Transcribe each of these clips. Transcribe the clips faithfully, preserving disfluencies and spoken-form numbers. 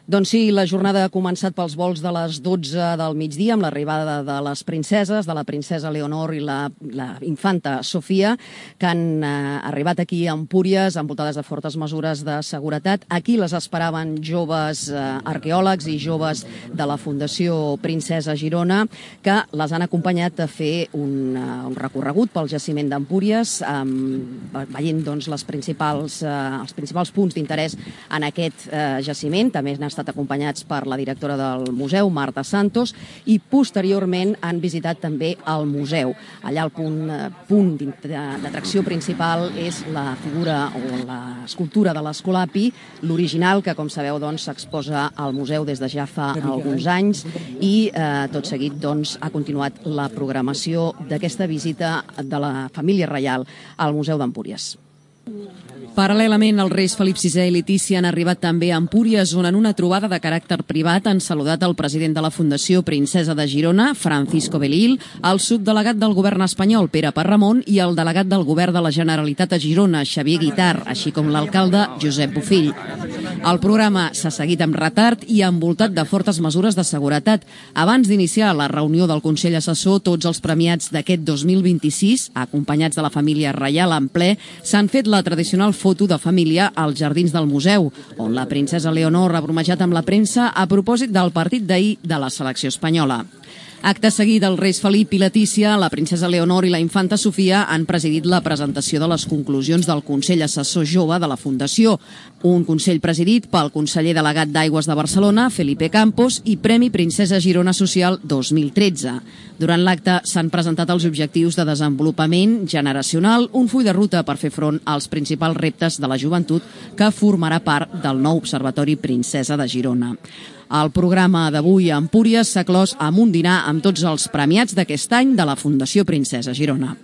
Doncs sí, la jornada ha començat pels vols de les dotze del migdia amb l'arribada de les princeses, de la princesa Leonor i la, la infanta Sofia, que han eh, arribat aquí a Empúries envoltades de fortes mesures de seguretat. Aquí les esperaven joves eh, arqueòlegs i joves de la Fundació Princesa Girona, que les han acompanyat a fer un, uh, un recorregut pel jaciment d'Empúries, um, veient doncs, les principals, uh, els principals punts d'interès en aquest uh, jaciment. També han estat acompanyats per la directora del museu, Marta Santos, i posteriorment han visitat també el museu. Allà el punt, uh, punt d'atracció principal és la figura o l'escultura de l'Escolapi, l'original, que com sabeu doncs, s'exposa al museu des de ja fa alguns anys, i eh, tot seguit doncs, ha continuat la programació d'aquesta visita de la família reial al Museu d'Empúries. Paral·lelament, els reis Felip sisè i Letícia han arribat també a Empúries, on en una trobada de caràcter privat han saludat el president de la Fundació Princesa de Girona, Francisco Belil, el subdelegat del govern espanyol, Pere Parramon, i el delegat del govern de la Generalitat a Girona, Xavier Guitart, així com l'alcalde, Josep Bofill. El programa s'ha seguit amb retard i envoltat de fortes mesures de seguretat. Abans d'iniciar la reunió del Consell Assessor, tots els premiats d'aquest dos mil vint-i-sis, acompanyats de la família reial en ple, s'han fet la tradicional foto de família als jardins del museu, on la princesa Leonor ha bromejat amb la premsa a propòsit del partit d'ahir de la selecció espanyola. Acte seguit, els reis Felip i Letícia, la princesa Leonor i la infanta Sofia han presidit la presentació de les conclusions del Consell Assessor Jove de la Fundació, un consell presidit pel conseller delegat d'Aigües de Barcelona, Felipe Campos, i Premi Princesa Girona Social dos mil tretze. Durant l'acte s'han presentat els objectius de desenvolupament generacional, un full de ruta per fer front als principals reptes de la joventut que formarà part del nou Observatori Princesa de Girona. El programa d'avui a Empúries s'ha clos amb un dinar amb tots els premiats d'aquest any de la Fundació Princesa Girona.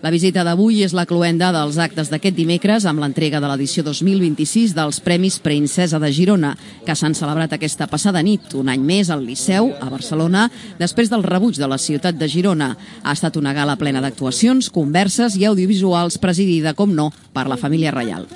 La visita d'avui és la cloenda dels actes d'aquest dimecres amb l'entrega de l'edició dos mil vint-i-sis dels Premis Princesa de Girona, que s'han celebrat aquesta passada nit, un any més al Liceu, a Barcelona, després del rebuig de la ciutat de Girona. Ha estat una gala plena d'actuacions, converses i audiovisuals presidida, com no, per la família reial.